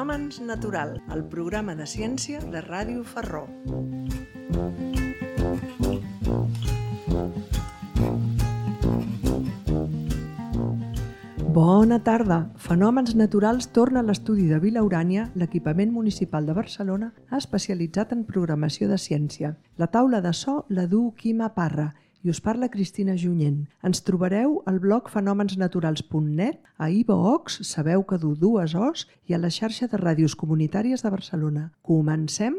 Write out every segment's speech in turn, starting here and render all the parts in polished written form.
Fenòmens Natural, el programa de ciència de Ràdio Ferró. Bona tarda! Fenòmens Naturals torna a l'estudi de Vila Urània, l'equipament municipal de Barcelona especialitzat en programació de ciència. La taula de so la du Quima Parra i us parla Cristina Junyent. Ens trobareu al blog fenomensnaturals.net, a iVoox, sabeu que du 2 Os, i a la xarxa de ràdios comunitàries de Barcelona. Comencem?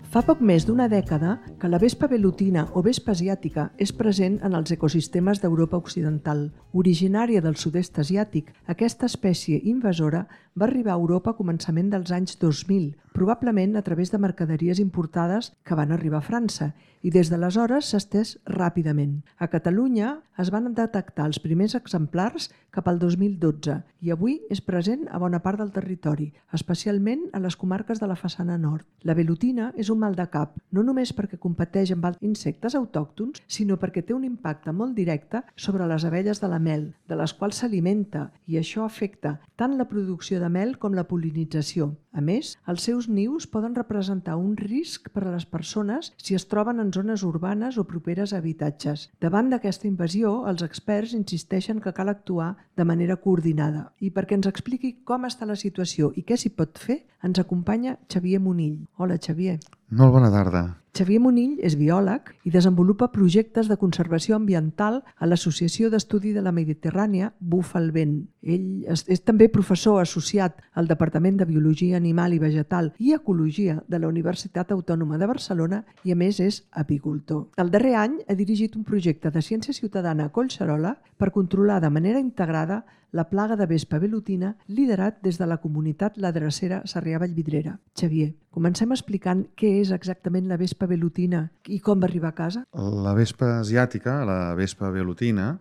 Fa poc més d'una dècada que la vespa velutina o vespa asiàtica és present en els ecosistemes d'Europa Occidental. Originària del sud-est asiàtic, aquesta espècie invasora va arribar a Europa a començament dels anys 2000, probablement a través de mercaderies importades que van arribar a França, i des d'aleshores s'ha estès ràpidament. A Catalunya es van detectar els primers exemplars cap al 2012 i avui és present a bona part del territori, especialment a les comarques de la façana nord. La velutina és un mal de cap, no només perquè competeix amb altres insectes autòctons, sinó perquè té un impacte molt directe sobre les abelles de la mel, de les quals s'alimenta, i això afecta tant la producció de mel com la pol·linització. A més, els seus nius poden representar un risc per a les persones si es troben en zones urbanes o properes a habitatges. Davant d'aquesta invasió, els experts insisteixen que cal actuar de manera coordinada. I perquè ens expliqui com està la situació i què s'hi pot fer, ens acompanya Xavier Monill. Hola, Xavier. Molt bona tarda. Xavier Monill és biòleg i desenvolupa projectes de conservació ambiental a l'Associació d'Estudi de la Mediterrània Bufa el Vent. Ell és també professor associat al Departament de Biologia Animal i Vegetal i Ecologia de la Universitat Autònoma de Barcelona i, a més, és apicultor. El darrer any ha dirigit un projecte de ciència ciutadana a Collserola per controlar de manera integrada la plaga de vespa velutina liderat des de la comunitat La Drecera Sarrià-Vallvidrera. Xavier, comencem explicant què és exactament la vespa velutina i com va arribar a casa. La vespa asiàtica, la vespa velutina,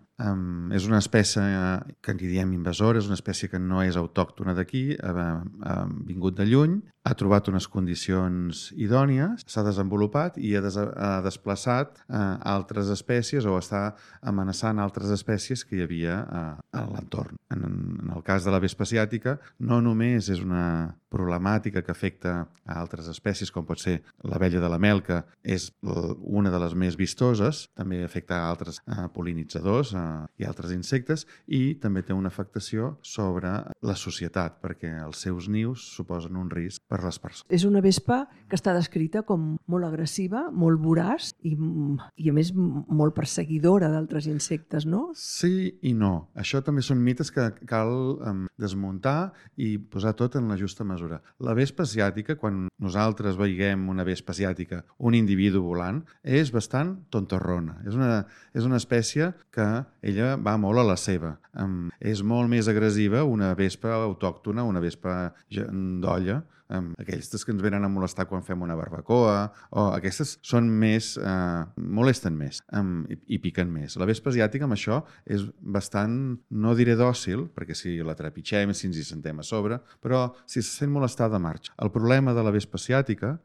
és una espècie que en diem invasora, és una espècie que no és autòctona d'aquí, ha vingut de lluny, ha trobat unes condicions idònies, s'ha desenvolupat i ha desplaçat altres espècies o està amenaçant altres espècies que hi havia a l'entorn. En el cas de la vespa asiàtica, no només és una problemàtica que afecta a altres espècies, com pot ser l'abella de la mel, que és una de les més vistoses, també afecta a altres pol·linitzadors i altres insectes, i també té una afectació sobre la societat, perquè els seus nius suposen un risc per les persones. És una vespa que està descrita com molt agressiva, molt voraç i a més molt perseguidora d'altres insectes, no? Sí i no. Això també són mites que cal desmuntar i posar tot en la justa mesura. La vespa asiàtica, quan nosaltres veiem una vespa asiàtica, un individu volant, és bastant tontorrona. És una espècie que ella va molt a la seva. És molt més agressiva una vespa autòctona, una vespa d'olla, aquestes que ens venen a molestar quan fem una barbacoa, o aquestes són més, molesten més i piquen més. La vespa asiàtica amb això és bastant, no diré dòcil, perquè si la trepitgem, si ens hi sentem a sobre, però si se sent molestada marxa. El problema de la vespa asiàtica,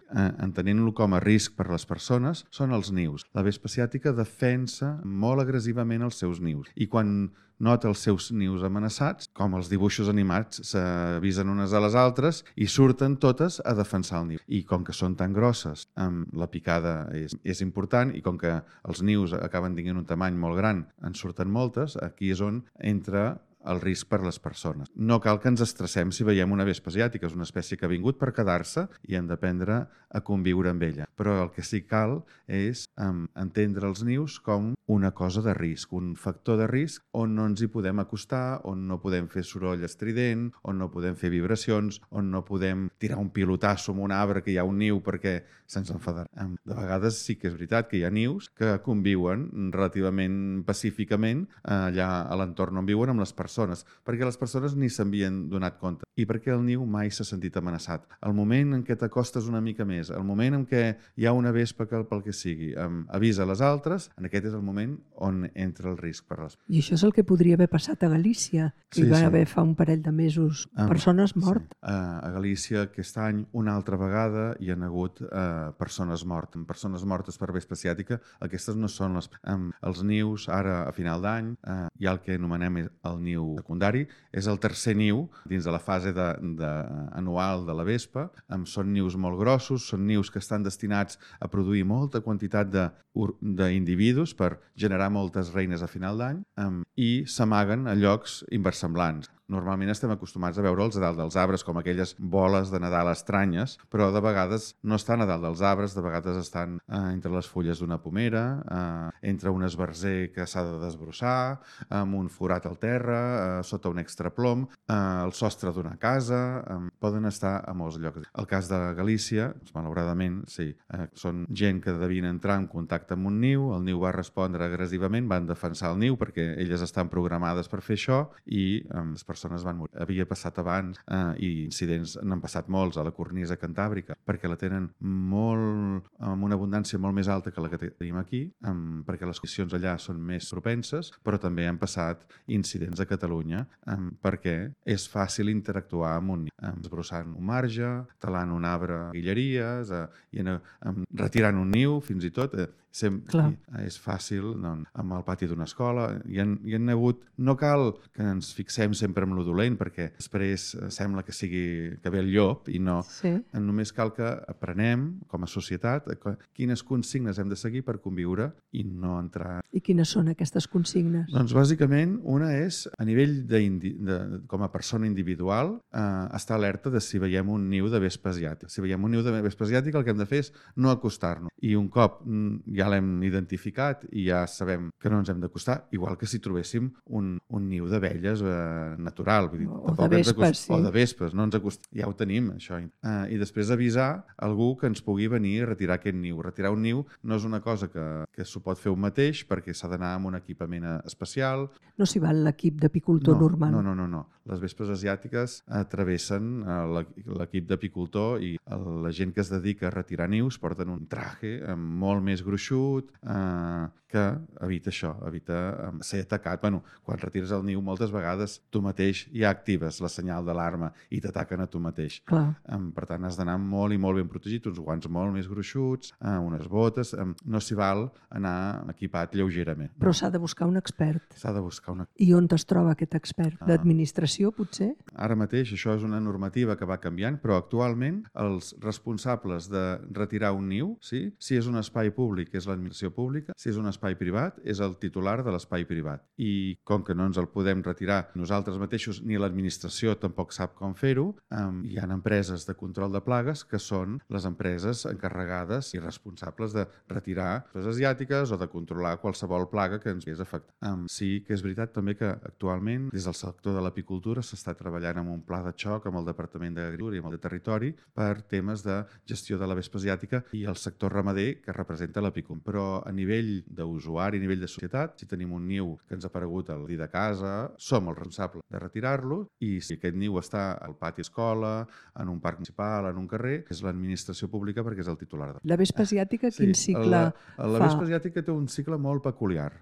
entenent-lo com a risc per a les persones, són els nius. La vespa asiàtica defensa molt agressivament els seus nius i quan nota els seus nius amenaçats, com els dibuixos animats s'avisen unes a les altres i surten totes a defensar el niu. I com que són tan grosses, la picada és important i com que els nius acaben tinguent un tamany molt gran, en surten moltes, aquí és on entra el risc per a les persones. No cal que ens estressem si veiem una vespa asiàtica, és una espècie que ha vingut per quedar-se i hem d'aprendre a conviure amb ella. Però el que sí cal és entendre els nius com una cosa de risc, un factor de risc on no ens hi podem acostar, on no podem fer soroll estrident, on no podem fer vibracions, on no podem tirar un pilotasso amb un arbre que hi ha un niu perquè se'ns enfadarà. De vegades sí que és veritat que hi ha nius que conviuen relativament pacíficament allà a l'entorn on viuen amb les persones persones, perquè les persones ni s'havien donat compte i perquè el niu mai s'ha sentit amenaçat. El moment en què t'acostes una mica més, el moment en què hi ha una vespa que pel que sigui avisa les altres, en aquest és el moment on entra el risc per les... I això és el que podria haver passat a Galícia, que hi va haver fa un parell de mesos persones mortes. Sí. A Galícia aquest any una altra vegada hi ha hagut persones mortes. Persones mortes per vespa asiàtica, aquestes no són els nius ara a final d'any, hi ha el que anomenem el niu secundari, és el tercer niu dins de la fase anual de la vespa, són nius molt grossos, són nius que estan destinats a produir molta quantitat d'individus per generar moltes reines a final d'any i s'amaguen a llocs inversemblants. Normalment estem acostumats a veure'ls a dalt dels arbres, com aquelles boles de Nadal estranyes, però de vegades no estan a dalt dels arbres, de vegades estan entre les fulles d'una pomera, entre un esbarzer que s'ha de desbrossar, amb un forat al terra, sota un extraplom, al sostre d'una casa, poden estar a molts llocs. El cas de Galícia, malauradament, sí, són gent que devien entrar en contacte amb un niu, el niu va respondre agressivament, van defensar el niu perquè elles estan programades per fer això i les persones van morir. Havia passat abans i incidents n'han passat molts a la cornisa cantàbrica perquè la tenen amb una abundància molt més alta que la que tenim aquí, perquè les condicions allà són més propenses, però també han passat incidents a Catalunya perquè és fàcil interactuar amb un niu, desbrossant un marge, talant un arbre, guilleries, retirant un niu, fins i tot. És fàcil amb el pati d'una escola. Hi han hagut... No cal que ens fixem sempre en lo dolent perquè després sembla que ve el llop i no. Només cal que aprenem com a societat quines consignes hem de seguir per conviure i no entrar... I quines són aquestes consignes? Doncs bàsicament una és a nivell com a persona individual estar alerta de si veiem un niu de vespa asiàtica. Si veiem un niu de vespa asiàtica el que hem de fer és no acostar-nos. I un cop ja l'hem identificat i ja sabem que no ens hem d'acostar, igual que si trobéssim un niu d'abelles natural. Vull dir, o de vespes, sí. O de vespes, no ens ja ho tenim, això. I després avisar algú que ens pugui venir a retirar aquest niu. Retirar un niu no és una cosa que s'ho pot fer un mateix perquè s'ha d'anar amb un equipament especial. No s'hi val l'equip d'apicultor normal. No. Les vespes asiàtiques travessen l'equip d'apicultor i la gent que es dedica a retirar nius porten un traje molt més gruixut que evita això, evita ser atacat. Quan retires el niu moltes vegades tu mateix ja actives la senyal d'alarma i t'ataquen a tu mateix. Per tant, has d'anar molt i molt ben protegit, uns guants molt més gruixuts, unes botes. No s'hi val anar equipat lleugerament. Però s'ha de buscar un expert. S'ha de buscar un expert. I on es troba aquest expert? D'administració, potser? Ara mateix això és una normativa que va canviant, però actualment els responsables de retirar un niu, si és un espai públic és l'administració pública, si és un espai privat és el titular de l'espai privat. I com que no ens el podem retirar nosaltres mateixos ni l'administració tampoc sap com fer-ho, hi ha empreses de control de plagues que són les empreses encarregades i responsables de retirar les asiàtiques o de controlar qualsevol plaga que ens hagués afectat. Sí que és veritat també que actualment des del sector de l'apicultura s'està treballant amb un pla de xoc amb el Departament d'Agricultura i amb el de Territori per temes de gestió de la vespa asiàtica i el sector ramader que representa l'apicultura. Però a nivell d'usuari, a nivell de societat, si tenim un niu que ens ha aparegut al dir de casa, som els responsables de retirar-lo i si aquest niu està al pati escola, en un parc municipal, en un carrer, és l'administració pública perquè és el titular. La vespa asiàtica quin cicle fa? La vespa asiàtica té un cicle molt peculiar.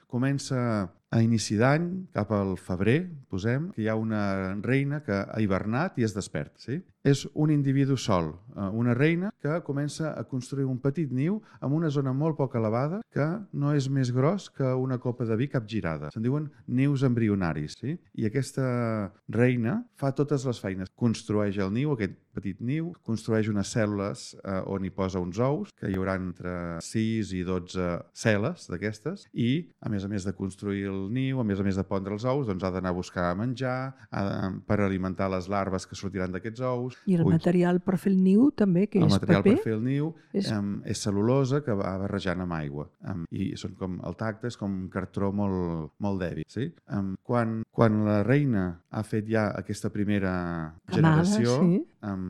Comença a inici d'any, cap al febrer, posem, que hi ha una reina que ha hivernat i es desperta. Sí? És un individu sol, una reina que comença a construir un petit niu en una zona molt poc elevada que no és més gros que una copa de vi capgirada. Se'n diuen nius embrionaris. Sí? I aquesta reina fa totes les feines. Construeix el niu, aquest petit niu, construeix unes cèl·lules on hi posa uns ous, que hi haurà entre 6 i 12 cel·les d'aquestes, i a més de construir el niu, a més de pondre els ous, doncs ha d'anar a buscar menjar per alimentar les larves que sortiran d'aquests ous. I el material per fer el niu també, que és paper? El material per fer el niu és cel·lulosa que va barrejant amb aigua. I són com el tacte, és com un cartró molt dèbil. Sí? Quan la reina ha fet ja aquesta primera generació,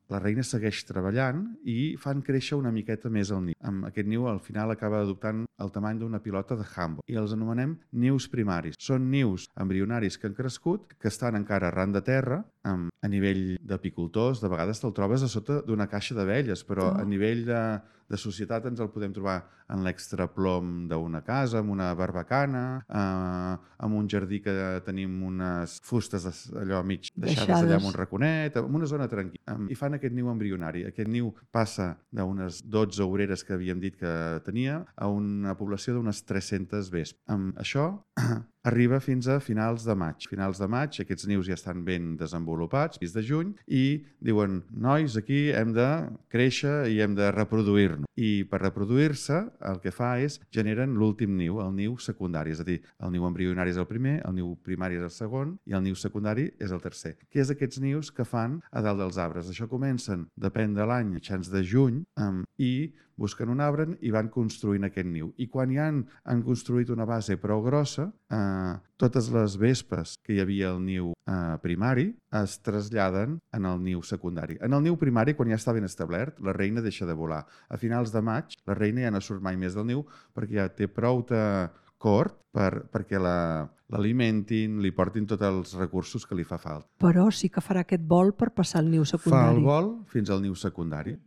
la reina segueix treballant i fan créixer una miqueta més el niu. Aquest niu al final acaba adoptant el tamany d'una pilota de handball i els anomenem nius primaris. Són nius embrionaris que han crescut, que estan encara arran de terra, a nivell d'apicultors, de vegades te'l trobes a sota d'una caixa d'abelles, però a nivell de societat ens el podem trobar en l'extraplom d'una casa, amb una barbacana, amb un jardí que tenim unes fustes allò mig deixades allà en un raconet, en una zona tranquil·la. I fan aquest niu embrionari. Aquest niu passa d'unes 12 obreres que havíem dit que tenia a una població d'unes 300 vespes. Això arriba fins a finals de maig. Finals de maig, aquests nius ja estan ben desenvolupats, fins de juny, i diuen, nois, aquí hem de créixer i hem de reproduir-nos. I per reproduir-se, el que fa és generen l'últim niu, el niu secundari. És a dir, el niu embrionari és el primer, el niu primari és el segon i el niu secundari és el tercer. Què és aquests nius que fan a dalt dels arbres? Això comencen, depèn de l'any, mitjans de juny, i busquen un arbre i van construint aquest niu. I quan ja han construït una base prou grossa, totes les vespes que hi havia al niu primari es traslladen en el niu secundari. En el niu primari, quan ja està ben establert, la reina deixa de volar. A finals de maig, la reina ja no surt mai més del niu perquè ja té prou cort perquè l'alimentin, li portin tots els recursos que li fa falta. Però sí que farà aquest vol per passar al niu Fa secundari. el vol fins al niu secundari.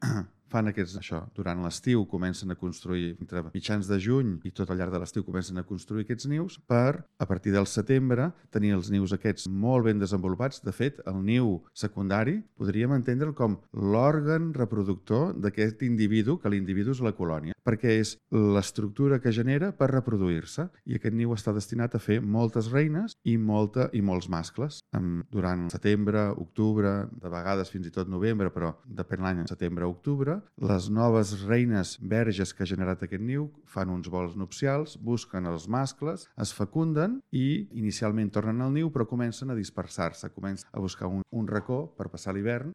Fan això. Durant l'estiu comencen a construir, entre mitjans de juny i tot al llarg de l'estiu comencen a construir aquests nius per, a partir del setembre, tenir els nius aquests molt ben desenvolupats. De fet, el niu secundari podríem entendre'l com l'òrgan reproductor d'aquest individu, que l'individu és la colònia, perquè és l'estructura que genera per reproduir-se. I aquest niu està destinat a fer moltes reines i molts mascles. Durant setembre, octubre, de vegades fins i tot novembre, però depèn l'any, setembre-octubre, les noves reines verges que ha generat aquest niu fan uns vols nupcials, busquen els mascles, es fecunden i inicialment tornen al niu, però comencen a dispersar-se, comencen a buscar un racó per passar l'hivern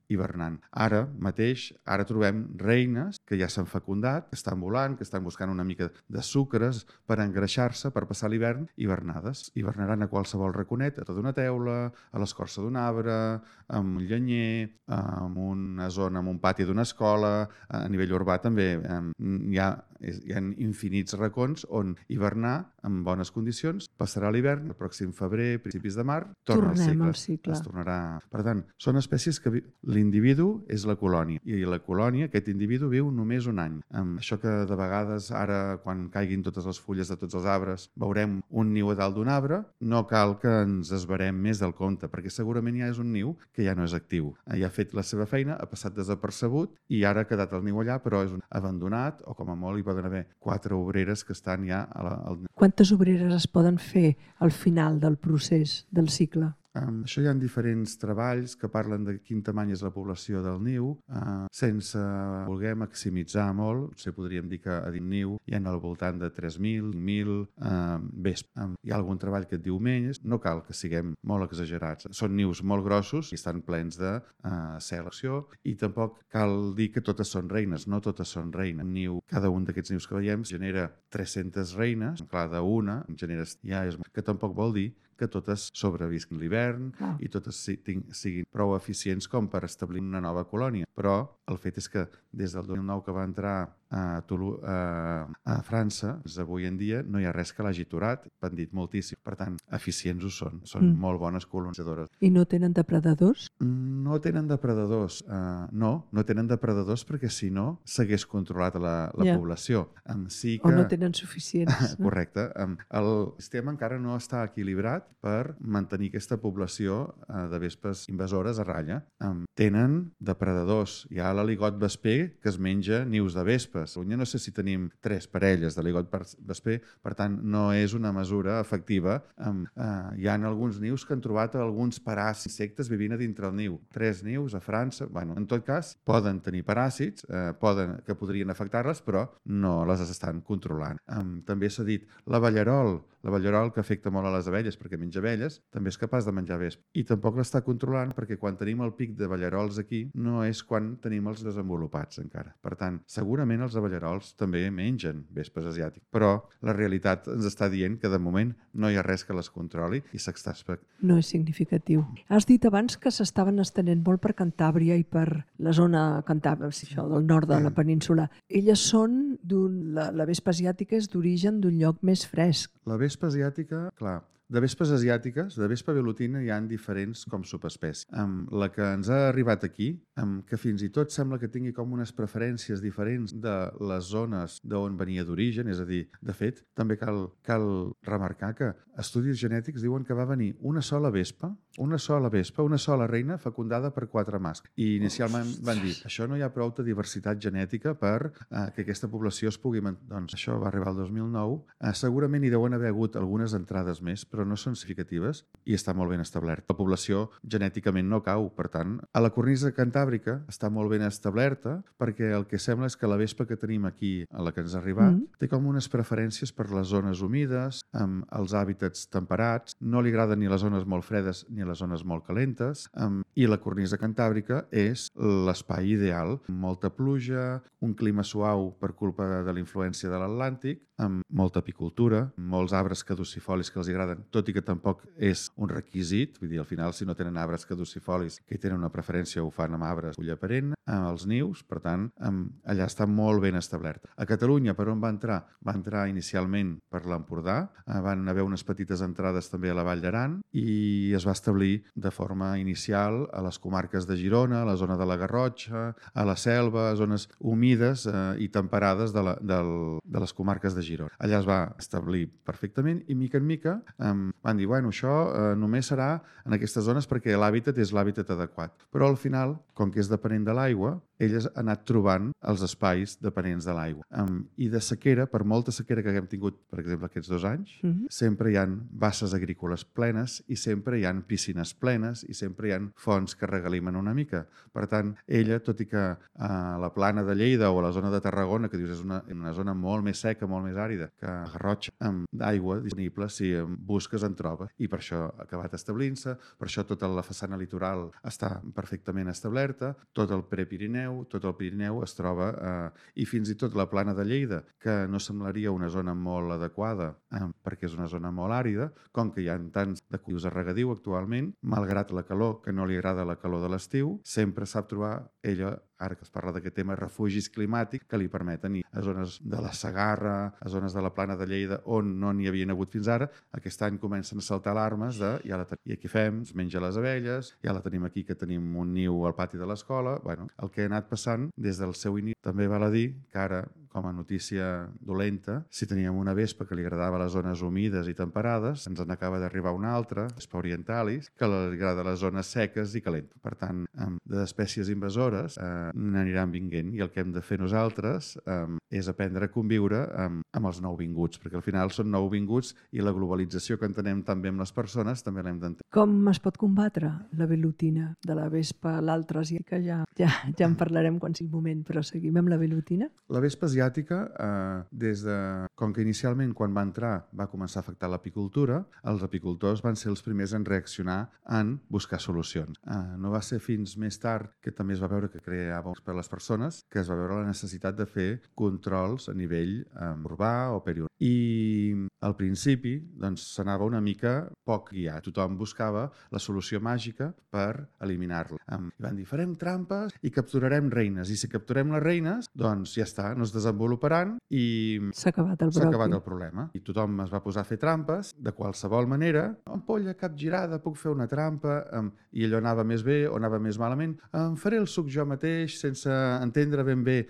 hivernant. Ara mateix, trobem reines que ja s'han fecundat, que estan volant, que estan buscant una mica de sucres per engreixar-se, per passar l'hivern hivernades. Hivernaran a qualsevol raconet, a tota una teula, a l'escorça d'un arbre, amb un llenyer, en una zona, en un pati d'una escola. A nivell urbà també hi ha infinits racons on hivernar en bones condicions, passarà l'hivern, el pròxim febrer, principis de mar, tornem al cicle. Es tornarà. Per tant, són espècies que l'individu és la colònia i la colònia, aquest individu, viu només un any. Això que de vegades ara, quan caiguin totes les fulles de tots els arbres, veurem un niu a dalt d'un arbre, no cal que ens esverem més del compte, perquè segurament ja és un niu que ja no és actiu. Ja ha fet la seva feina, ha passat desapercebut i ara ha quedat el niu allà, però és abandonat, o com a molt hi poden haver 4 obreres que estan ja al... Quantes obreres es poden fer al final del procés del cicle? Això hi ha diferents treballs que parlen de quin tamany és la població del niu, sense voler maximitzar molt. Potser podríem dir que a dins niu hi ha al voltant de 3.000, 5.000 vespes. Hi ha algun treball que et diu menys, no cal que siguem molt exagerats. Són nius molt grossos i estan plens de selecció i tampoc cal dir que totes són reines, no totes són reines. Cada un d'aquests nius que veiem genera 300 reines, clar, d'una genera que tampoc vol dir que totes sobrevisquin l'hivern i totes siguin prou eficients com per establir una nova colònia. Però el fet és que des del 2009 que va entrar a França, avui en dia no hi ha res que l'hagi aturat, han dit moltíssim. Per tant, eficients ho són. Són molt bones colonitzadores. I no tenen depredadors? No tenen depredadors. No tenen depredadors perquè si no s'hagués controlat la població. Sí que... O no tenen suficients. Correcte. El sistema encara no està equilibrat per mantenir aquesta població de vespes invasores a ratlla. Tenen depredadors. Hi ha l'aligot vesper que es menja nius de vespes. A Catalunya no sé si tenim 3 parelles d'aligot vesper, per tant no és una mesura efectiva. Hi ha alguns nius que han trobat alguns paràsits insectes vivint a dintre el niu. 3 nius a França. En tot cas, poden tenir paràsits que podrien afectar-les, però no les estan controlant. També s'ha dit, la la ballarol que afecta molt a les abelles perquè menja abelles, també és capaç de menjar vespa. I tampoc l'està controlant perquè quan tenim el pic de ballarols aquí no és quan tenim els desenvolupats encara. Per tant, segurament els aballarols també mengen vespes asiàtiques, però la realitat ens està dient que de moment no hi ha res que les controli i s'està... No és significatiu. Has dit abans que s'estaven estenent molt per Cantàbria i per la zona Cantàbria, això, del nord de la península. Elles són la vespa asiàtica és d'origen d'un lloc més fresc. La vespa asiàtica, clar, de vespes asiàtiques, de vespa velutina, hi ha diferents com subespècies. La que ens ha arribat aquí, que fins i tot sembla que tingui com unes preferències diferents de les zones d'on venia d'origen, és a dir, de fet, també cal remarcar que estudis genètics diuen que va venir una sola reina fecundada per 4 mascles. I inicialment van dir, això no hi ha prou de diversitat genètica per que aquesta població es pugui... Doncs això va arribar al 2009. Segurament hi deuen haver hagut algunes entrades més, però no són significatives i està molt ben establert. La població genèticament no cau, per tant, a la cornisa cantàbrica està molt ben establerta perquè el que sembla és que la vespa que tenim aquí, a la que ens ha arribat, té com unes preferències per les zones humides, amb els hàbitats temperats, no li agraden ni les zones molt fredes ni les zones molt calentes, i la cornisa cantàbrica és l'espai ideal, amb molta pluja, un clima suau per culpa de la influència de l'Atlàntic, amb molta apicultura, molts arbres caducifolis que els agraden, tot i que tampoc és un requisit, vull dir, al final, si no tenen arbres caducifolis que hi tenen una preferència, ho fan amb arbres fulla perenne, els nius, per tant, allà està molt ben establert. A Catalunya, per on va entrar? Va entrar inicialment per l'Empordà, van haver unes petites entrades també a la Vall d'Aran i es va establir de forma inicial a les comarques de Girona, a la zona de la Garrotxa, a la Selva, a zones humides i temperades de les comarques de Girona. Allà es va establir perfectament i mica en mica van dir, bueno, això només serà en aquestes zones perquè l'hàbitat és l'hàbitat adequat. Però al final, com que és depenent de l'aigua, elles han anat trobant els espais dependents de l'aigua. I de sequera, per molta sequera que haguem tingut, per exemple, aquests 2 anys, sempre hi ha basses agrícoles plenes i sempre hi ha piscines plenes i sempre hi ha fonts que regalimen una mica. Per tant, ella, tot i que a la plana de Lleida o a la zona de Tarragona, que dius és una zona molt més seca, molt més àrida, que Garrotxa, d'aigua disponible, si busques en trobes. I per això ha acabat establint-se, per això tota la façana litoral està perfectament establerta, tot el Prepirineu, tot el Pirineu es troba, i fins i tot la plana de Lleida, que no semblaria una zona molt adequada perquè és una zona molt àrida, com que hi ha tants de cultius a regadiu actualment, malgrat la calor, que no li agrada la calor de l'estiu, sempre sap trobar ella, ara que es parla d'aquest tema, refugis climàtics que li permeten ir a zones de la Segarra, a zones de la plana de Lleida on no n'hi havien hagut fins ara. Aquest any comencen a saltar alarmes de ja la tenim, i aquí fem, es menja les abelles, ja la tenim aquí que tenim un niu al pati de l'escola. Bueno, el que ha anat passant des del seu inici. També val a dir que ara, com a notícia dolenta, si teníem una vespa que li agradava les zones humides i temperades, ens n'acaba d'arribar una altra, vespa orientalis, que li agrada les zones seques i calentes. Per tant, d'espècies invasores n'aniran vinguent i el que hem de fer nosaltres és aprendre a conviure amb els nouvinguts, perquè al final són nouvinguts i la globalització que entenem també amb les persones també l'hem d'entendre. Com es pot combatre la velutina de la vespa, l'altra asiàtica? Ja en parlarem quan sigui moment, però seguim amb la velutina. La vespa asiàtica, com que inicialment quan va entrar va començar a afectar l'apicultura, els apicultors van ser els primers en reaccionar en buscar solucions. No va ser fins més tard que també es va veure que creava per a les persones, que es va veure la necessitat de fer controls a nivell urbà o periurbà. I al principi s'anava una mica poc guiat. Tothom buscava la solució màgica per eliminar-la. I van dir, farem trampes i capturarem reines. I si capturem les reines, doncs ja està, no es desenvoluparan i s'ha acabat el problema. I tothom es va posar a fer trampes de qualsevol manera. Ampolla capgirada, puc fer una trampa, i allò anava més bé o anava més malament. Faré el suc jo mateix sense entendre ben bé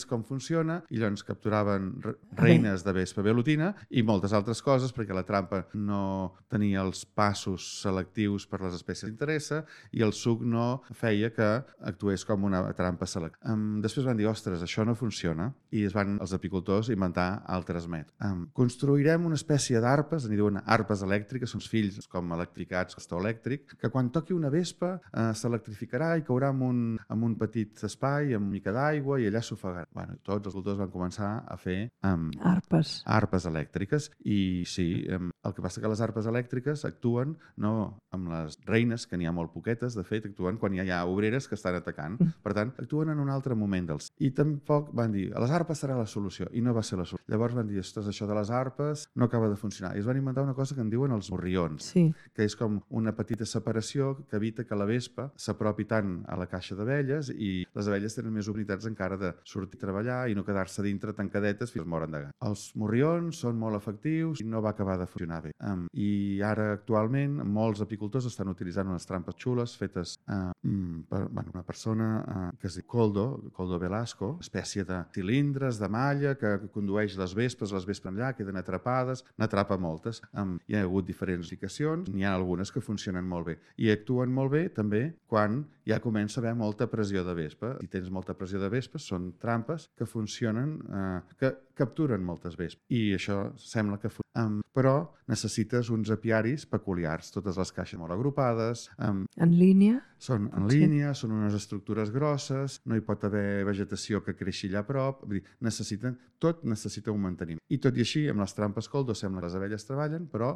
com funciona, i llavors capturaven reines de vespa velutina i moltes altres coses perquè la trampa no tenia els passos selectius per les espècies que interessa i el suc no feia que actués com una trampa selectiva. Després van dir, ostres, això no funciona, i es van els apicultors inventar altres mètodes. Construirem una espècie d'arpes, en diuen arpes elèctriques, són fills com electricats, bastó elèctric, que quan toqui una vespa s'electrificarà i caurà en un petit espai amb mica d'aigua i allà s'ofegarà. Bueno, tots els apicultors van començar a fer Arpes elèctriques. I sí, el que passa que les arpes elèctriques actuen no amb les reines, que n'hi ha molt poquetes, de fet, actuen quan hi ha obreres que estan atacant. Per tant, actuen en un altre moment dels... I tampoc van dir, les arpes serà la solució, i no va ser la solució. Llavors van dir, ostres, això de les arpes no acaba de funcionar. I es van inventar una cosa que en diuen els morrions, que és com una petita separació que evita que la vespa s'apropi tant a la caixa d'abelles i les abelles tenen més oportunitats encara de sortir a treballar i no quedar-se dintre tancadetes fins moren de gana. Els morrions són molt efectius i no va acabar de funcionar bé. I ara, actualment, molts apicultors estan utilitzant unes trampes xules fetes per una persona que es diu Coldo Velasco, espècie de cilindres, de malla, que condueix les vespes allà, queden atrapades, n'atrapa moltes. Hi ha hagut diferents aplicacions, n'hi ha algunes que funcionen molt bé. I actuen molt bé també quan ja comença a haver molta pressió de vespa. Si tens molta pressió de vespes, són trampes que funcionen, que capturen moltes vespes. I això sembla que però necessites uns apiaris peculiars, totes les caixes molt agrupades. En línia? Són en línia, són unes estructures grosses, no hi pot haver vegetació que creixi allà a prop, vull dir, tot necessita un manteniment. I tot i així, amb les trampes Coldo sembla que les abelles treballen, però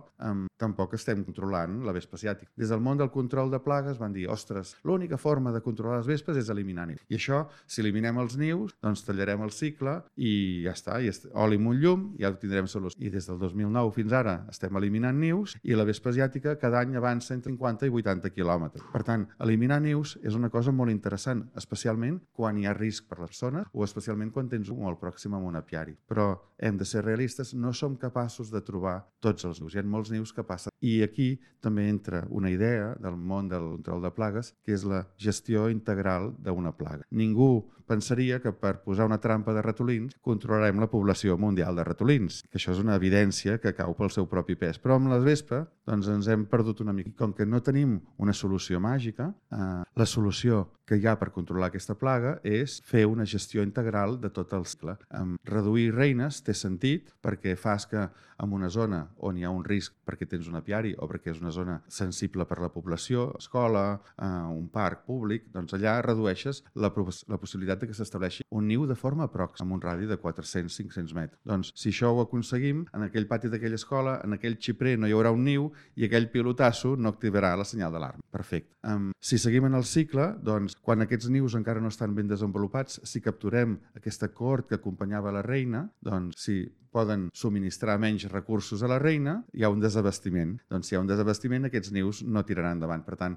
tampoc estem controlant la vespa asiàtica. Des del món del control de plagues van dir, ostres, l'única forma de controlar les vespes és eliminar nius. I això, si eliminem els nius, doncs tallarem el cicle i ja està, oli amb un llum, ja ho tindrem solució. I des del 2009 fins ara estem eliminant nius i la vespa asiàtica cada any avança entre 50 i 80 quilòmetres. Per tant, eliminar nius és una cosa molt interessant, especialment quan hi ha risc per a la persona o especialment quan tens un molt pròxim a un apiari. Però hem de ser realistes, no som capaços de trobar tots els nius. Hi ha molts nius que passen. I aquí també entra una idea del món del control de plagues, que és la gestió integral d'una plaga. Ningú pensaria que per posar una trampa de ratolins controlarem la població mundial de ratolins, que això és una evidència que cau pel seu propi pes. Però amb la vespa doncs ens hem perdut una mica. Com que no tenim una solució màgica, la solució que hi ha per controlar aquesta plaga és fer una gestió integral de tot el cicle. Reduir reines té sentit perquè fas que en una zona on hi ha un risc perquè tens un apiari o perquè és una zona sensible per la població, escola, un parc públic, doncs allà redueixes la possibilitat de que s'estableixi un niu de forma pròxima, amb un radi de 400-500 metres. Doncs si això ho aconseguim, en aquell pati d'aquella escola, en aquell xiprer no hi haurà un niu i aquell pilotasso no activarà la senyal d'alarma. Perfecte. Si seguim en el cicle, doncs quan aquests nius encara no estan ben desenvolupats, si capturem aquesta cort que acompanyava la reina, doncs si poden subministrar menys recursos a la reina, hi ha un desabastiment. Doncs si hi ha un desabastiment, aquests nius no tiraran endavant. Per tant,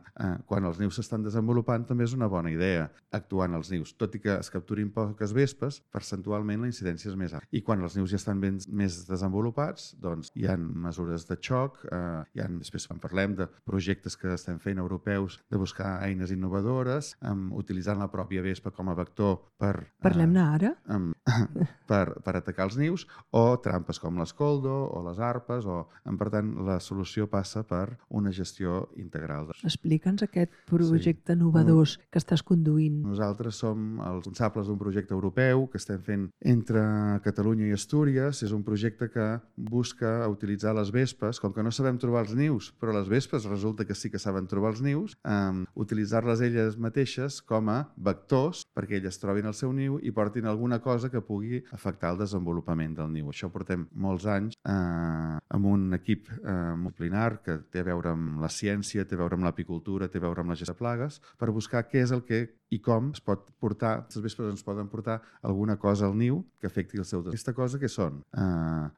quan els nius s'estan desenvolupant, també és una bona idea actuar en els nius. Tot i que es capturin poques vespes, percentualment la incidència és més alta. I quan els nius ja estan més desenvolupats, doncs hi ha mesures de xoc, després quan parlem de projectes que estem fent europeus de buscar eines innovadores, utilitzant la pròpia vespa com a vector per... Parlem-ne ara? Per atacar els nius, o trampes com les Coldo o les arpes, per tant, la solució passa per una gestió integral. Explica'ns aquest projecte innovador que estàs conduint. Nosaltres som els responsables d'un projecte europeu que estem fent entre Catalunya i Astúries. És un projecte que busca utilitzar les vespes, com que no sabem trobar els nius, però les vespes resulta que sí que saben trobar els nius, utilitzar-les elles mateixes com a vectors perquè elles trobin el seu niu i portin alguna cosa que pugui afectar el desenvolupament del niu. Això portem molts anys amb un equip multidisciplinar que té a veure amb la ciència, té a veure amb l'apicultura, té a veure amb la gestió de plagues, per buscar què és el que i com es pot portar, les vespes ens poden portar alguna cosa al niu que afecti el seu desenvolupament. Aquesta cosa què són?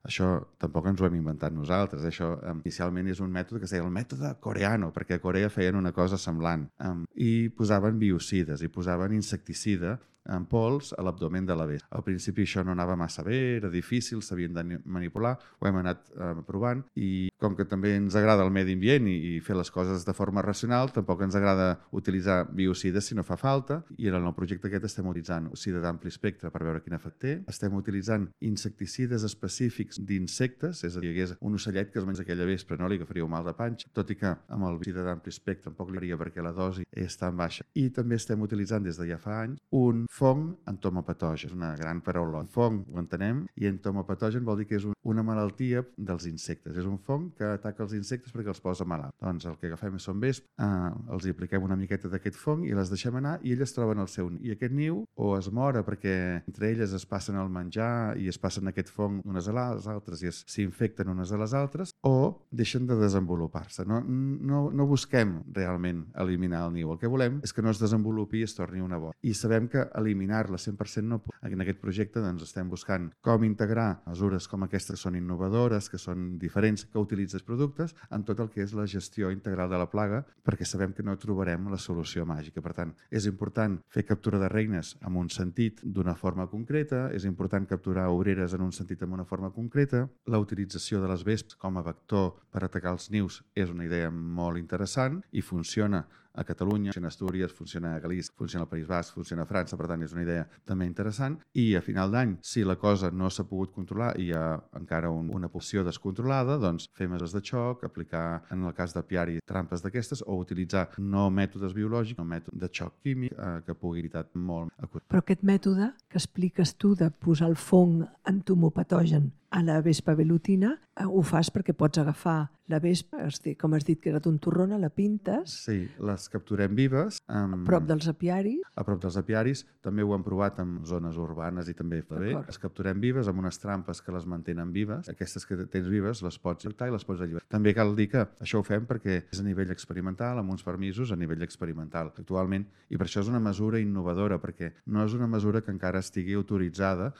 Això tampoc ens ho hem inventat nosaltres. Això inicialment és un mètode que es deia el mètode coreano, perquè a Corea feien una cosa semblant. I posaven biocides, i posaven insecticida en pols a l'abdomen de la vespa. Al principi això no anava massa bé, era difícil, s'havien de manipular, ho hem anat provant i com que també ens agrada el medi ambient i fer les coses de forma racional, tampoc ens agrada utilitzar biocides si no fa falta i en el nou projecte aquest estem utilitzant biocida d'ampli espectre per veure quin efecte té. Estem utilitzant insecticides específics d'insectes, és a dir, hi hagués un ocellet que es menja aquella vespre, no li agafaria un mal de panxa, tot i que amb el biocida d'ampli espectre tampoc li faria perquè la dosi és tan baixa. I també estem utilitzant des de ja fa anys un fong entomopatogen. És una gran paraula. Fong ho entenem i entomopatogen vol dir que és una malaltia dels insectes. És un fong que ataca els insectes perquè els posa malalt. Doncs el que agafem són vesps, els hi apliquem una miqueta d'aquest fong i les deixem anar i elles troben el seu niu. I aquest niu o es mora perquè entre elles es passen el menjar i es passen aquest fong unes a les altres i s'infecten unes a les altres, o deixen de desenvolupar-se. No busquem realment eliminar el niu. El que volem és que no es desenvolupi i es torni una bola. I sabem que eliminar-la 100% no pot. En aquest projecte doncs, estem buscant com integrar mesures com aquestes que són innovadores, que són diferents, que utilitzen productes en tot el que és la gestió integral de la plaga, perquè sabem que no trobarem la solució màgica. Per tant, és important fer captura de reines en un sentit d'una forma concreta, és important capturar obreres en un sentit amb una forma concreta, la utilització de les vesps com a vector per atacar els nius és una idea molt interessant i funciona a Catalunya, funciona a Astúries, funciona a Galícia, funciona al País Basc, funciona a França, per tant és una idea també interessant. I a final d'any, si la cosa no s'ha pogut controlar i hi ha encara una població descontrolada, doncs fer mesures de xoc, aplicar en el cas d'apiari trampes d'aquestes o utilitzar no mètodes biològics, no mètode de xoc químic que pugui evitar molt a curt. Però aquest mètode que expliques tu de posar el fong entomopatogen a la vespa velutina, ho fas perquè pots agafar la vespa, com has dit que era tontorrona, la pintes... Sí, les capturem vives. A prop dels apiaris. A prop dels apiaris. També ho hem provat en zones urbanes i també fa bé. Les capturem vives amb unes trampes que les mantenen vives. Aquestes que tens vives les pots tractar i les pots alliberar. També cal dir que això ho fem perquè és a nivell experimental, amb uns permisos a nivell experimental actualment, i per això és una mesura innovadora, perquè no és una mesura que encara estigui autoritzada.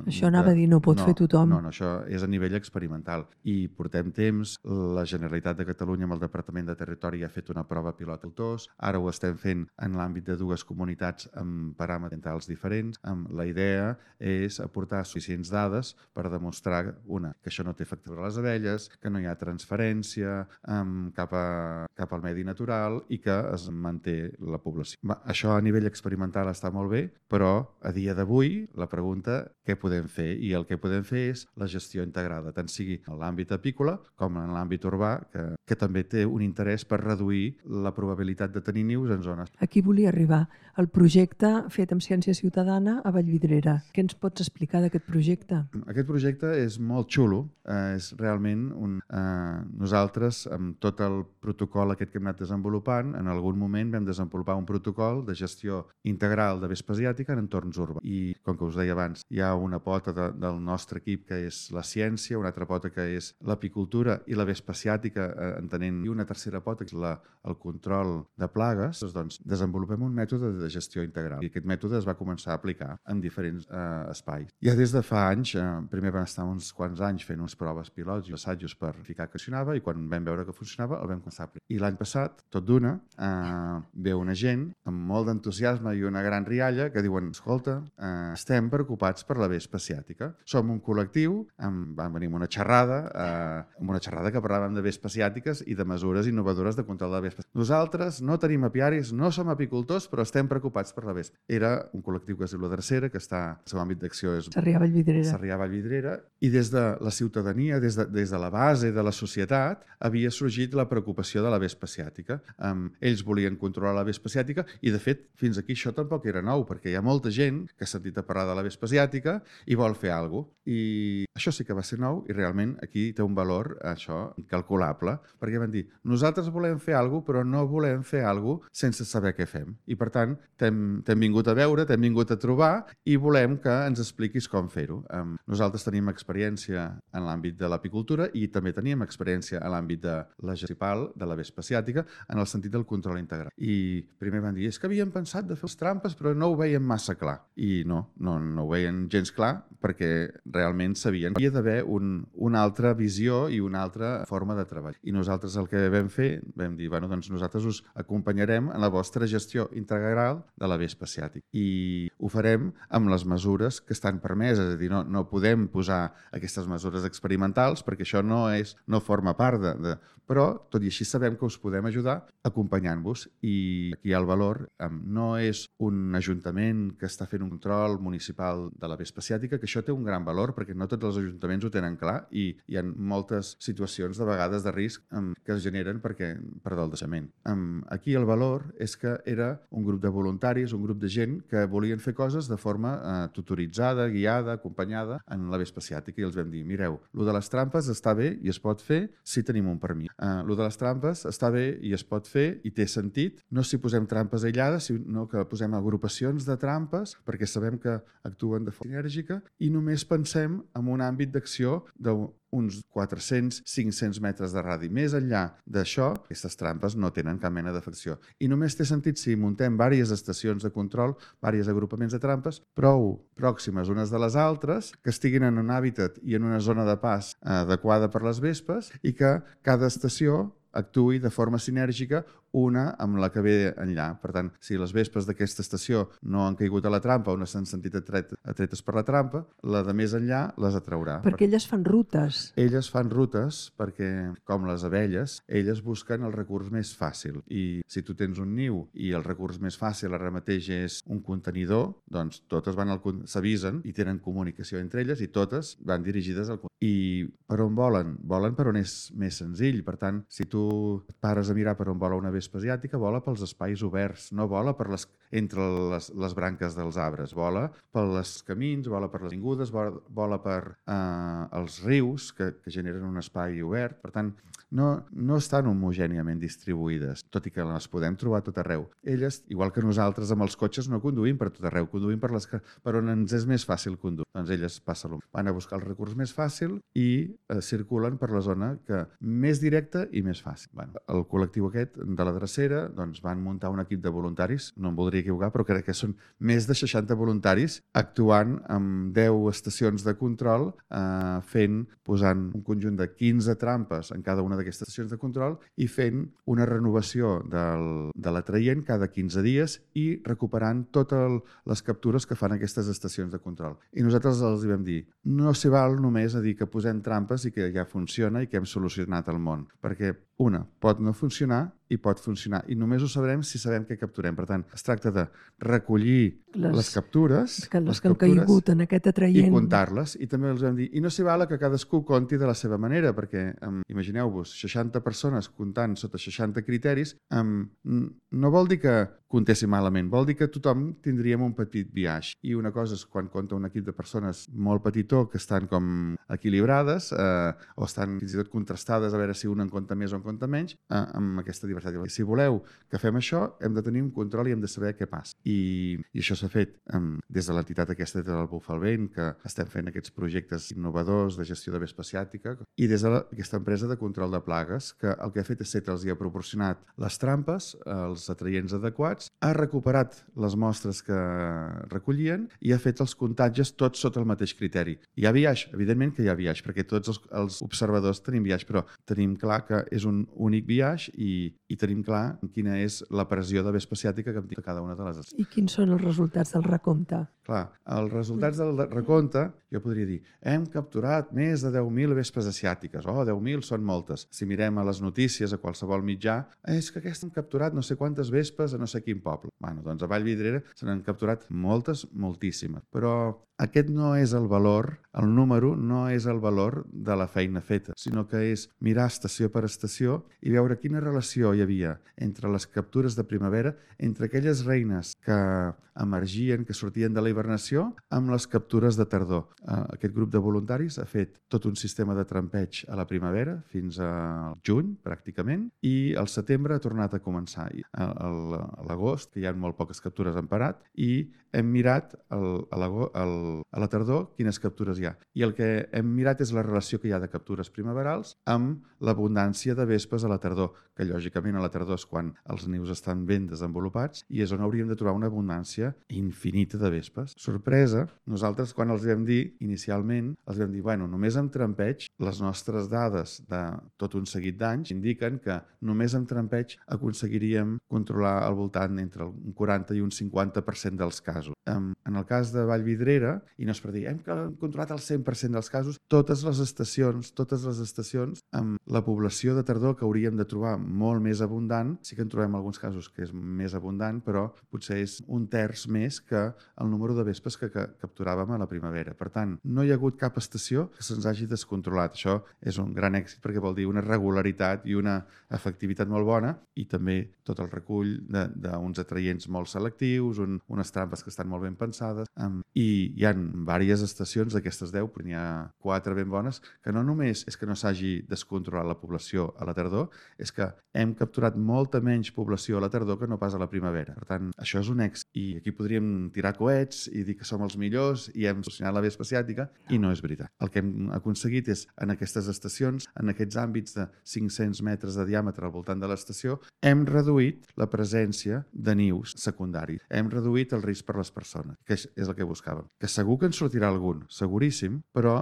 Això anava a dir, no pot fer tothom. No, això és a nivell experimental i portem temps. La Generalitat de Catalunya amb el Departament de Territori ja ha fet una prova pilot d'autors. Ara ho estem fent en l'àmbit de dues comunitats amb paràmetres ambientals diferents. La idea és aportar suficients dades per demostrar, que això no té efecte sobre les abelles, que no hi ha transferència cap al medi natural i que es manté la població. Això a nivell experimental està molt bé, però a dia d'avui la pregunta què podem fer? I el que podem fer és la gestió integrada, tant sigui en l'àmbit apícola com en l'àmbit urbà, que també té un interès per reduir la probabilitat de tenir nius en zones. Aquí volia arribar. El projecte fet amb Ciència Ciutadana a Vallvidrera. Què ens pots explicar d'aquest projecte? Aquest projecte és molt xulo. És realment nosaltres, amb tot el protocol aquest que hem anat desenvolupant, en algun moment vam desenvolupar un protocol de gestió integral de vespa asiàtica en entorns urbans. I, com que us deia abans, hi ha una pota del nostre equip que és la ciència, una altra pota que és l'apicultura i la vespa asiàtica, entenent, i una tercera pota que és el control de plagues. Doncs desenvolupem un mètode de gestió integral i aquest mètode es va començar a aplicar en diferents espais. Ja des de fa anys, primer vam estar uns quants anys fent unes proves pilots i assajos per verificar que funcionava, i quan vam veure que funcionava el vam començar a aplicar. I l'any passat, tot d'una, ve una gent amb molt d'entusiasme i una gran rialla que diuen: escolta, estem preocupats per la vespa asiàtica. Som un col·lectiu, vam venir amb una xerrada que parlàvem de vespes asiàtiques i de mesures innovadores de control de vespes. Nosaltres no tenim apiaris, no som apicultors, però estem preocupats per la vespa. Era un col·lectiu que es diu La Drecera, que està, el seu àmbit d'acció és Sarrià Vallvidrera, i des de la ciutadania, des de la base de la societat, havia sorgit la preocupació de la vespa asiàtica. Ells volien controlar la vespa asiàtica i, de fet, fins aquí això tampoc era nou, perquè hi ha molta gent que ha sentit a parlar de la vespa asiàtica i vol fer alguna cosa. I això sí que va ser nou i realment aquí té un valor, això, incalculable, perquè van dir: nosaltres volem fer alguna cosa, però no volem fer alguna cosa sense saber què fem. I, per tant, t'hem vingut a veure, t'hem vingut a trobar i volem que ens expliquis com fer-ho. Nosaltres tenim experiència en l'àmbit de l'apicultura i també teníem experiència en l'àmbit de la gestió de la vespa asiàtica en el sentit del control integral. I primer van dir: és que havíem pensat de fer les trampes, però no ho veiem massa clar. I no ho veien gens clar, perquè realment sabien que hi havia d'haver una altra visió i una altra forma de treball. I nosaltres el que vam fer, vam dir: bueno, doncs nosaltres us acompanyarem en la vostra gestió integral de la vespa asiàtica. I ho farem amb les mesures que estan permeses. És a dir, no podem posar aquestes mesures experimentals perquè això no forma part de... Però, tot i així, sabem que us podem ajudar acompanyant-vos. I aquí hi ha el valor. No és un ajuntament que està fent un control municipal de la vespa asiàtica, que això té un gran valor perquè no tots els ajuntaments ho tenen clar i hi ha moltes situacions de vegades de risc que es generen per del deixament. Aquí el valor és que era un grup de voluntaris, un grup de gent que volien fer coses de forma tutoritzada, guiada, acompanyada en la vespa asiàtica i els vam dir, mireu, lo de les trampes està bé i es pot fer si tenim un permís. Lo de les trampes està bé i es pot fer i té sentit, no si posem trampes aïllades, sinó que posem agrupacions de trampes perquè sabem que actuen de forma sinèrgica i només pensem en un àmbit d'acció d'uns 400-500 metres de radi. Més enllà d'això, aquestes trampes no tenen cap mena d'afecció. I només té sentit si muntem diverses estacions de control, diversos agrupaments de trampes, prou pròximes unes de les altres, que estiguin en un hàbitat i en una zona de pas adequada per les vespes i que cada estació actuï de forma sinèrgica una amb la que ve enllà. Per tant, si les vespes d'aquesta estació no han caigut a la trampa o no s'han sentit atretes per la trampa, la de més enllà les atraurà. Perquè elles fan rutes. Elles fan rutes perquè, com les abelles, elles busquen el recurs més fàcil. I si tu tens un niu i el recurs més fàcil ara mateix és un contenidor, doncs totes s'avisen i tenen comunicació entre elles i totes van dirigides al contenidor. I per on volen? Volen per on és més senzill. Per tant, si tu et pares a mirar per on vola una vespa asiàtica, vola pels espais oberts, no vola entre les branques dels arbres, vola pels camins, vola per les avingudes, vola per els rius que generen un espai obert. Per tant, no estan homogèniament distribuïdes, tot i que les podem trobar a tot arreu. Elles, igual que nosaltres amb els cotxes, no conduïm per tot arreu, conduïm per on ens és més fàcil conduir. Doncs elles van a buscar el recurs més fàcil i circulen per la zona més directa i més fàcil. El col·lectiu aquest de la drecera van muntar un equip de voluntaris, no em voldria equivocar, però crec que són més de 60 voluntaris actuant amb 10 estacions de control, posant un conjunt de 15 trampes en cada una d'aquestes estacions de control i fent una renovació de l'atraient cada 15 dies i recuperant totes les captures que fan aquestes estacions de control. I nosaltres els vam dir, no s'hi val només a dir que posem trampes i que ja funciona i que hem solucionat el món, perquè pot no funcionar i pot funcionar. I només ho sabrem si sabem què capturem. Per tant, es tracta de recollir les captures que han caigut en aquest atraient i comptar-les. I també els vam dir, i no s'hi val que cadascú conti de la seva manera, perquè imagineu-vos, 60 persones comptant sota 60 criteris, no vol dir que comptessin malament, vol dir que tothom tindríem un petit biaix. I una cosa és quan compta un equip de persones molt petitó que estan com equilibrades o estan fins i tot contrastades a veure si un en compta més o en compta menys, amb aquesta diversitat. Si voleu que fem això, hem de tenir un control i hem de saber què passa. I això s'ha fet des de l'entitat aquesta del Bufar el Vent, que estem fent aquests projectes innovadors de gestió de vespa asiàtica, i des d'aquesta empresa de control de plagues, que el que ha fet és ser que els hi ha proporcionat les trampes, els atraients adequats, ha recuperat les mostres que recollien i ha fet els comptatges tots sota el mateix criteri. Hi ha biaix? Evidentment que hi ha biaix, perquè tots els observadors tenim biaix, però tenim clar que és un únic biaix i tenim clar quina és la pressió de vespa asiàtica que té cada una de les... I quins són els resultats del recompte? Clar, els resultats del recompte, jo podria dir, hem capturat més de 10.000 vespes asiàtiques. 10.000 són moltes. Si mirem a les notícies, a qualsevol mitjà, és que aquests han capturat no sé quantes vespes a no sé quin poble. Doncs a Vallvidrera se n'han capturat moltes, moltíssimes. Però aquest no és el valor, el número no és el valor de la feina feta, sinó que és mirar estació per estació i veure quina relació hi havia entre les captures de primavera, entre aquelles reines que emergien, que sortien de la hibernació, amb les captures de tardor. Aquest grup de voluntaris ha fet tot un sistema de trampeig a la primavera fins al juny, pràcticament, i al setembre ha tornat a començar. A l'agost, que hi ha molt poques captures, han parat, i hem mirat a la tardor quines captures hi ha. I el que hem mirat és la relació que hi ha de captures primaverals amb l'abundància de vespes a la tardor, que lògicament a la tardor és quan els nius estan ben desenvolupats i és on hauríem de trobar una abundància infinita de vespes. Sorpresa, nosaltres quan els vam dir, inicialment, els vam dir, només amb trampeig, les nostres dades de tot un seguit d'anys indiquen que només amb trampeig aconseguiríem controlar al voltant entre un 40 i un 50% dels casos. En el cas de Vallvidrera, i no és per dir, hem controlat el 100% dels casos, totes les estacions, amb la població de tardor que hauríem de trobar molt més abundant, sí que en trobem alguns casos que és més abundant, però potser és un terç més que el número número de vespes que capturàvem a la primavera. Per tant, no hi ha hagut cap estació que se'ns hagi descontrolat. Això és un gran èxit perquè vol dir una regularitat i una efectivitat molt bona i també tot el recull d'uns atraients molt selectius, unes trampes que estan molt ben pensades i hi ha diverses estacions d'aquestes 10, però n'hi ha 4 ben bones, que no només és que no s'hagi descontrolat la població a la tardor, és que hem capturat molta menys població a la tardor que no pas a la primavera. Per tant, això és un èxit. I aquí podríem tirar coets i dir que som els millors i hem solucionat la vespa asiàtica i no és veritat. El que hem aconseguit és, en aquestes estacions, en aquests àmbits de 500 metres de diàmetre al voltant de l'estació, hem reduït la presència de nius secundaris. Hem reduït el risc per les persones, que és el que buscàvem. Que segur que en sortirà algun, seguríssim, però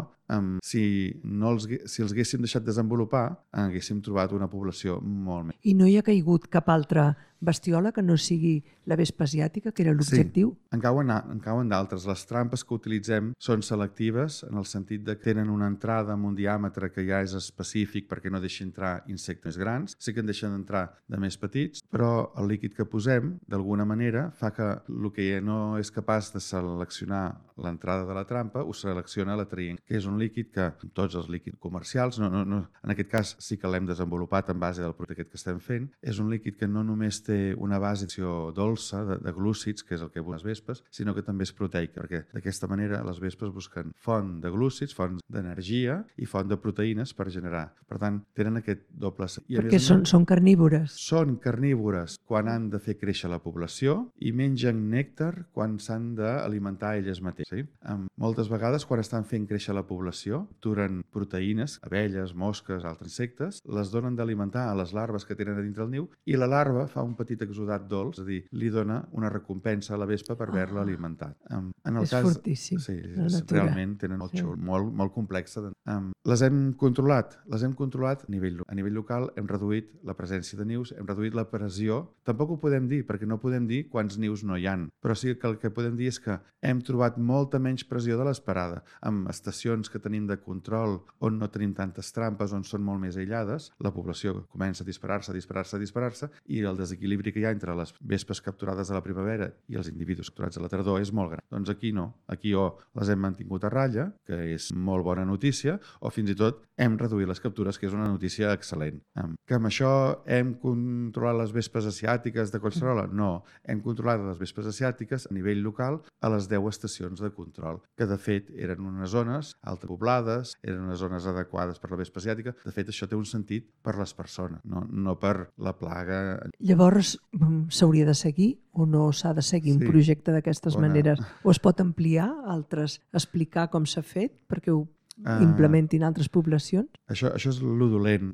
si els haguéssim deixat desenvolupar, haguéssim trobat una població molt més. I no hi ha caigut cap altra bestiola que no sigui la vespa asiàtica, que era l'objectiu? Sí, en cauen d'altres. Les trampes que utilitzem són selectives en el sentit de que tenen una entrada amb un diàmetre que ja és específic perquè no deixi entrar insectes grans. Sí que en deixen entrar de més petits, però el líquid que posem, d'alguna manera, fa que el que no és capaç de seleccionar l'entrada de la trampa ho selecciona l'atraient, que és un líquid que tots els líquids comercials, en aquest cas sí que l'hem desenvolupat en base del producte que estem fent, és un líquid que no només té una base dolça de glúcids, que és el que busquen les vespes, sinó que també és proteica, perquè d'aquesta manera les vespes busquen font de glúcids, font d'energia i font de proteïnes per generar. Per tant, tenen aquest doble... Perquè són carnívores. Són carnívores quan han de fer créixer la població i mengen nèctar quan s'han d'alimentar elles mateixes. Sí? Moltes vegades, quan estan fent créixer la població, capturen proteïnes, abelles, mosques, altres insectes, les donen d'alimentar a les larves que tenen a dintre el niu i la larva fa un petit exudat dolç, és a dir, li dona una recompensa a la vespa per haver-la alimentat. És fortíssim. Sí, realment tenen molt xul, molt complexa. Les hem controlat a nivell local, hem reduït la presència de nius, hem reduït la pressió. Tampoc ho podem dir, perquè no podem dir quants nius no hi ha, però sí que el que podem dir és que hem trobat molta menys pressió de l'esperada. Amb estacions que tenim de control on no tenim tantes trampes, on són molt més aïllades, la població comença a disparar-se i el desequilibri que hi ha entre les vespes capturades a la primavera i els individus capturats a la tardor és molt gran. Doncs aquí no. Aquí o les hem mantingut a ratlla, que és molt bona notícia, o fins i tot hem reduït les captures, que és una notícia excel·lent. Que amb això hem controlat les vespes asiàtiques de Collserola? No. Hem controlat les vespes asiàtiques a nivell local a les 10 estacions de control, que de fet eren unes zones altapoblades, eren unes zones adequades per la vespa asiàtica. De fet, això té un sentit per les persones, no per la plaga. Llavors, s'hauria de seguir o no s'ha de seguir un projecte d'aquestes maneres? O es pot ampliar, altres, explicar com s'ha fet perquè ho implementin altres poblacions? Això és lo dolent,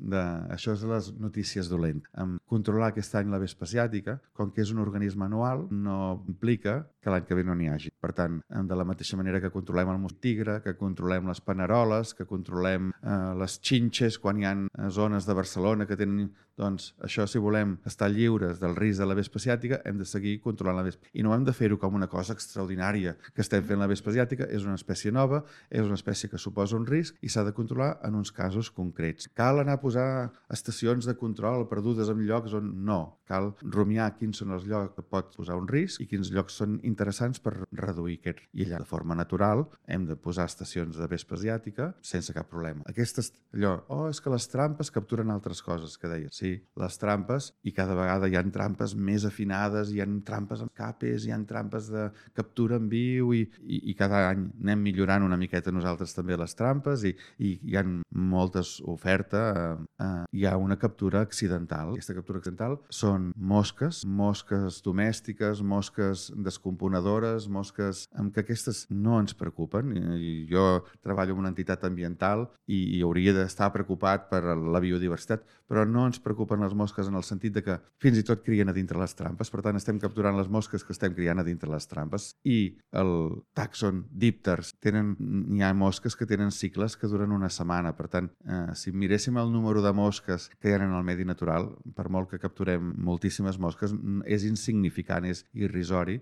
això és les notícies dolentes. Controlar aquest any la vespa asiàtica, com que és un organisme anual, no implica que l'any que ve no n'hi hagi. Per tant, de la mateixa manera que controlem el mosquit tigre, que controlem les paneroles, que controlem les xinxes quan hi ha zones de Barcelona que tenen... Doncs això, si volem estar lliures del risc de la vespa asiàtica, hem de seguir controlant la vespa. I no hem de fer-ho com una cosa extraordinària que estem fent la vespa asiàtica. És una espècie nova, és una espècie que suposa un risc i s'ha de controlar en uns casos concrets. Cal anar a posar estacions de control perdudes en llocs on no. Cal rumiar quins són els llocs que pot posar un risc i quins llocs són interessants per reduir aquest risc. I allà, de forma natural, hem de posar estacions de vespa asiàtica sense cap problema. Aquestes, és que les trampes capturen altres coses, que deia. Sí, les trampes, i cada vegada hi ha trampes més afinades, hi ha trampes amb capes, hi ha trampes de captura en viu i cada any anem millorant una miqueta nosaltres també les trampes i hi ha moltes ofertes. Hi ha una captura accidental. Aquesta captura accidental són mosques domèstiques, mosques descomponedores, mosques que aquestes no ens preocupen. Jo treballo en una entitat ambiental i hauria d'estar preocupat per la biodiversitat, però no ens preocupen les mosques en el sentit de que fins i tot crien a dintre les trampes. Per tant, estem capturant les mosques que estem criant a dintre les trampes. I el tàxon dípters, hi ha mosques que tenen cicles que duren una setmana. Per tant, si miréssim el número de mosques que hi ha en el medi natural, per molt que capturem moltíssimes mosques, és insignificant, és irrisori.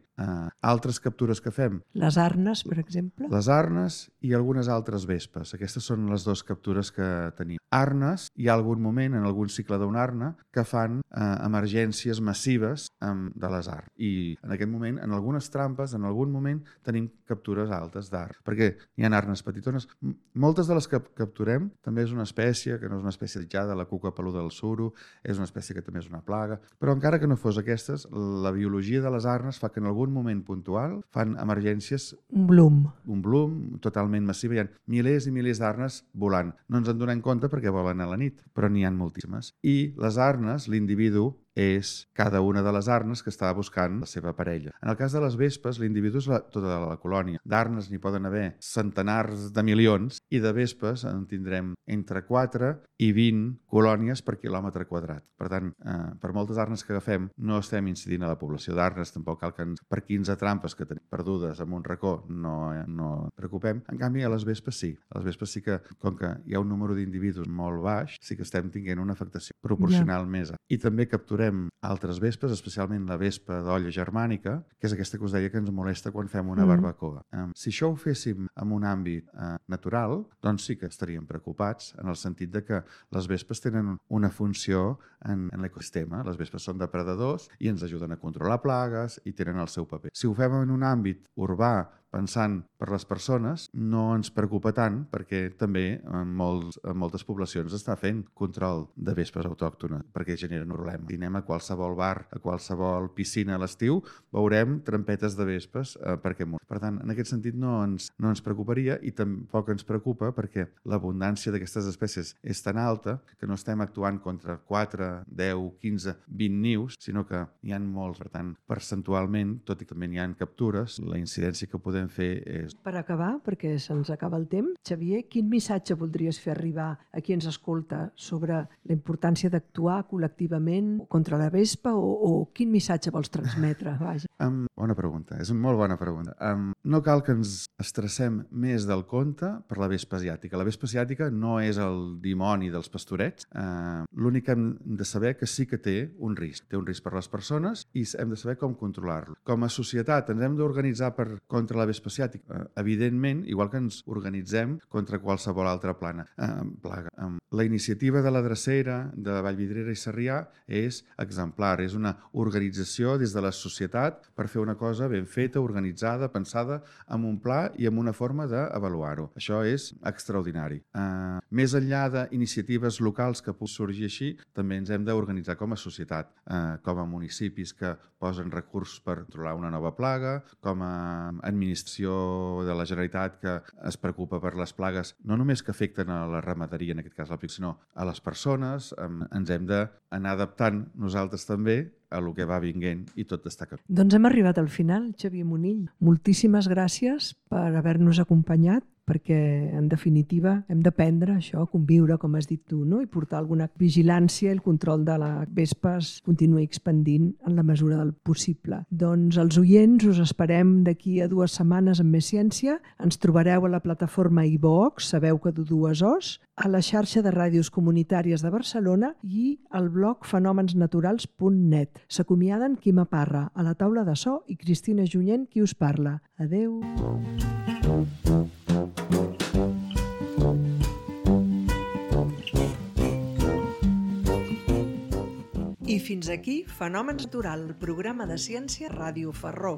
Altres captures que fem... Les arnes, per exemple? Les arnes i algunes altres vespes. Aquestes són les dues captures que tenim. Arnes, hi ha algun moment, en algun cicle d'una arna, que fan emergències massives de les ARN. I en aquest moment, en algunes trampes, en algun moment, tenim captures altes d'ARN, perquè hi ha arnes petitones. Moltes de les que capturem també és una espècie, que no és una espècie aïllada, la cuca peluda del suro, és una espècie que també és una plaga, però encara que no fos aquestes, la biologia de les arnes fa que en algun moment puntual fan emergències... Un bloom totalment massiu. Hi ha milers i milers d'arnes volant. No ens en donem compte perquè volen a la nit, però n'hi ha moltíssimes. I les arnes, l'individu, és cada una de les arnes que està buscant la seva parella. En el cas de les vespes, l'individu és tota la colònia. D'arnes n'hi poden haver centenars de milions i de vespes en tindrem entre 4 i 20 colònies per quilòmetre quadrat. Per tant, per moltes arnes que agafem, no estem incidint a la població d'arnes, tampoc cal que per 15 trampes que tenim perdudes en un racó no preocupem. En canvi, a les vespes sí. A les vespes sí que, com que hi ha un número d'individus molt baix, sí que estem tinguent una afectació proporcional més alta. I també capturem altres vespes, especialment la vespa d'olla germànica, que és aquesta que us deia que ens molesta quan fem una barbacoa. Si això ho féssim en un àmbit natural, doncs sí que estaríem preocupats en el sentit de que les vespes tenen una funció en l'ecosistema. Les vespes són depredadors i ens ajuden a controlar plagues i tenen el seu paper. Si ho fem en un àmbit urbà, pensant per les persones, no ens preocupa tant perquè també en moltes poblacions està fent control de vespes autòctones perquè generen un problema. Si anem a qualsevol bar, a qualsevol piscina a l'estiu, veurem trampetes de vespes perquè moren. Per tant, en aquest sentit no ens preocuparia i tampoc ens preocupa perquè l'abundància d'aquestes espècies és tan alta que no estem actuant contra 4, 10, 15, 20 nius, sinó que hi ha molts. Per tant, percentualment, tot i que també hi ha captures, la incidència que podem fer és... Per acabar, perquè se'ns acaba el temps, Xavier, quin missatge voldries fer arribar a qui ens escolta sobre la importància d'actuar col·lectivament contra la vespa o quin missatge vols transmetre? Vaja. Bona pregunta, és una molt bona pregunta. No cal que ens estressem més del compte per la vespa asiàtica. La vespa asiàtica no és el dimoni dels pastorets. L'únic que hem de saber que sí que té un risc. Té un risc per les persones i hem de saber com controlar-lo. Com a societat ens hem d'organitzar contra la vespa asiàtica. Evidentment, igual que ens organitzem contra qualsevol altra plaga. La iniciativa de la Drecera, de Vallvidrera i Sarrià és exemplar. És una organització des de la societat per fer una cosa ben feta, organitzada, pensada, amb un pla i amb una forma d'avaluar-ho. Això és extraordinari. Més enllà d'iniciatives locals que puguin sorgir així, també ens hem d'organitzar com a societat, com a municipis que posen recursos per controlar una nova plaga, com a administració de la Generalitat que es preocupa per les plagues, no només que afecten a la ramaderia, en aquest cas l'àpic, sinó a les persones. Ens hem d'anar adaptant nosaltres també a lo que va vinguent i tot està canviant. Doncs hem arribat al final, Xavier Munill. Moltíssimes gràcies per haver-nos acompanyat, perquè, en definitiva, hem d'aprendre això, a conviure, com has dit tu, no? I portar alguna vigilància i el control de la vespa es continuï expandint en la mesura del possible. Doncs els oients us esperem d'aquí a 2 setmanes amb més ciència. Ens trobareu a la plataforma iVox, sabeu que de 2 Os, a la xarxa de ràdios comunitàries de Barcelona i al blog fenomensnaturals.net. S'acomiaden Quima Parra, a la taula de so, i Cristina Junyent, qui us parla. Adeu! I fins aquí Fenòmens Natural, el programa de ciència Ràdio Ferró.